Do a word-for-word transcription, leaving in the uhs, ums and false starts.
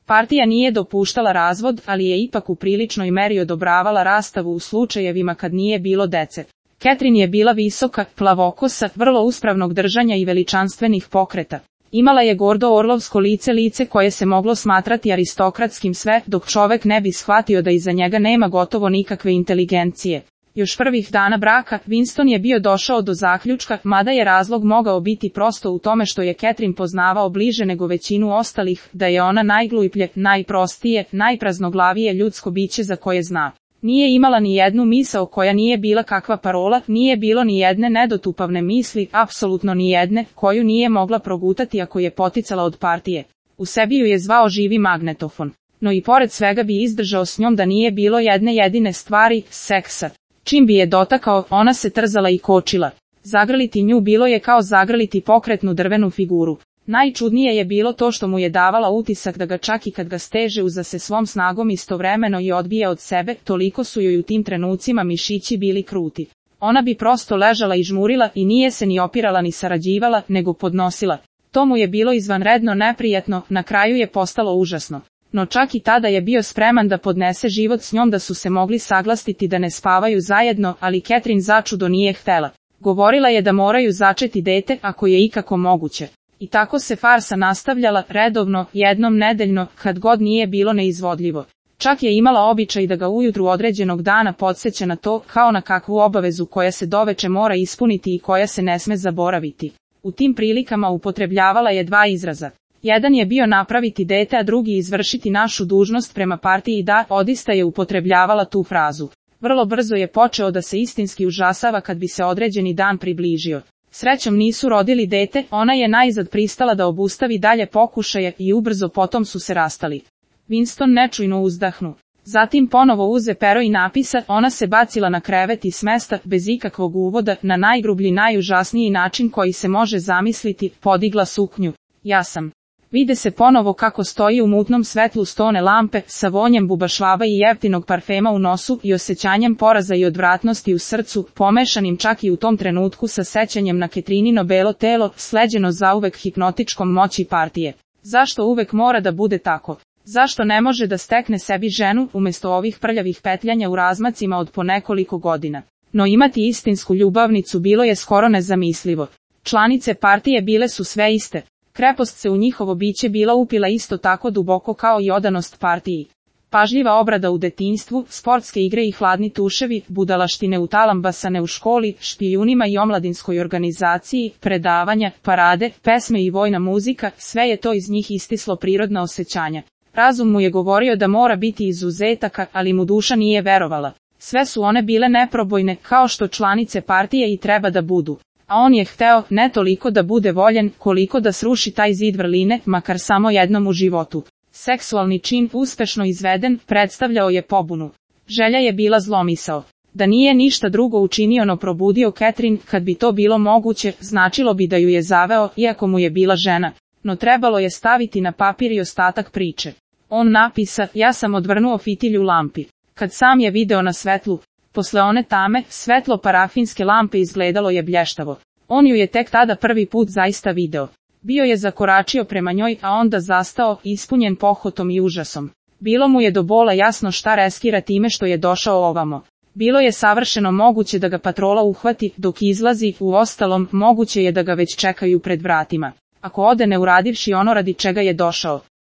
Partija nije dopuštala razvod, ali je ipak u priličnoj meri odobravala rastavu u slučajevima kad nije bilo dece. Catherine je bila visoka, plavokosa, vrlo uspravnog držanja i veličanstvenih pokreta. Imala je gordo orlovsko lice, lice koje se moglo smatrati aristokratskim sve, dok čovek ne bi shvatio da iza njega nema gotovo nikakve inteligencije. Još prvih dana braka, Winston je bio došao do zaključka, mada je razlog mogao biti prosto u tome što je Catherine poznavao bliže nego većinu ostalih, da je ona najgluplje, najprostije, najpraznoglavije ljudsko biće za koje zna. Nije imala ni jednu misao koja nije bila kakva parola, nije bilo ni jedne nedotupavne misli, apsolutno ni jedne, koju nije mogla progutati ako je poticala od partije. U sebi ju je zvao živi magnetofon. No i pored svega bi izdržao s njom da nije bilo jedne jedine stvari, seksa. Čim bi je dotakao, ona se trzala i kočila. Zagrliti nju bilo je kao zagrliti pokretnu drvenu figuru. Najčudnije je bilo to što mu je davala utisak da ga čak i kad ga steže uza se svom snagom istovremeno i odbije od sebe, toliko su joj u tim trenucima mišići bili kruti. Ona bi prosto ležala i žmurila i nije se ni opirala ni sarađivala, nego podnosila. To mu je bilo izvanredno neprijatno, na kraju je postalo užasno. No čak i tada je bio spreman da podnese život s njom, da su se mogli saglastiti da ne spavaju zajedno, ali Catherine začudo nije htela. Govorila je da moraju začeti dete, ako je ikako moguće. I tako se farsa nastavljala, redovno, jednom nedeljno, kad god nije bilo neizvodljivo. Čak je imala običaj da ga ujutru određenog dana podsjeća na to, kao na kakvu obavezu koja se doveče mora ispuniti i koja se ne sme zaboraviti. U tim prilikama upotrebljavala je dva izraza. Jedan je bio napraviti dete, a drugi izvršiti našu dužnost prema partiji. Da, odista je upotrebljavala tu frazu. Vrlo brzo je počeo da se istinski užasava kad bi se određeni dan približio. Srećom nisu rodili dete, ona je najzad pristala da obustavi dalje pokušaje i ubrzo potom su se rastali. Winston nečujno uzdahnu. Zatim ponovo uze pero i napisa, ona se bacila na krevet i smesta, bez ikakvog uvoda, na najgrublji, najužasniji način koji se može zamisliti, podigla suknju. Ja sam. Vide se ponovo kako stoji u mutnom svetlu stone lampe, sa vonjem bubašvava i jeftinog parfema u nosu i osjećanjem poraza i odvratnosti u srcu, pomešanim čak i u tom trenutku sa sećanjem na Catherinino belo telo, sleđeno zauvek hipnotičkom moći partije. Zašto uvek mora da bude tako? Zašto ne može da stekne sebi ženu, umjesto ovih prljavih petljanja u razmacima od po nekoliko godina? No imati istinsku ljubavnicu bilo je skoro nezamislivo. Članice partije bile su sve iste. Krepost se u njihovo biće bila upila isto tako duboko kao i odanost partiji. Pažljiva obrada u detinjstvu, sportske igre i hladni tuševi, budalaštine u talambasane u školi, špijunima i omladinskoj organizaciji, predavanja, parade, pesme i vojna muzika, sve je to iz njih istislo prirodna osjećanja. Razum mu je govorio da mora biti izuzetaka, ali mu duša nije verovala. Sve su one bile neprobojne, kao što članice partije i treba da budu. A on je hteo, ne toliko da bude voljen, koliko da sruši taj zid vrline, makar samo jednom u životu. Seksualni čin, uspešno izveden, predstavljao je pobunu. Želja je bila zlomisao. Da nije ništa drugo učinio no probudio Catherine, kad bi to bilo moguće, značilo bi da ju je zaveo, iako mu je bila žena. No trebalo je staviti na papir i ostatak priče. On napisa, ja sam odvrnuo fitilj u lampi. Kad sam je video na svetlu, posle one tame, svetlo parafinske lampe izgledalo je blještavo. On ju je tek tada prvi put zaista video. Bio je zakoračio prema njoj, a onda zastao, ispunjen pohotom i užasom. Bilo mu je do bola jasno šta reskira time što je došao ovamo. Bilo je savršeno moguće da ga patrola uhvati, dok izlazi, uostalom, moguće je da ga već čekaju pred vratima. Ako ode ne uradivši ono radi čega je došao,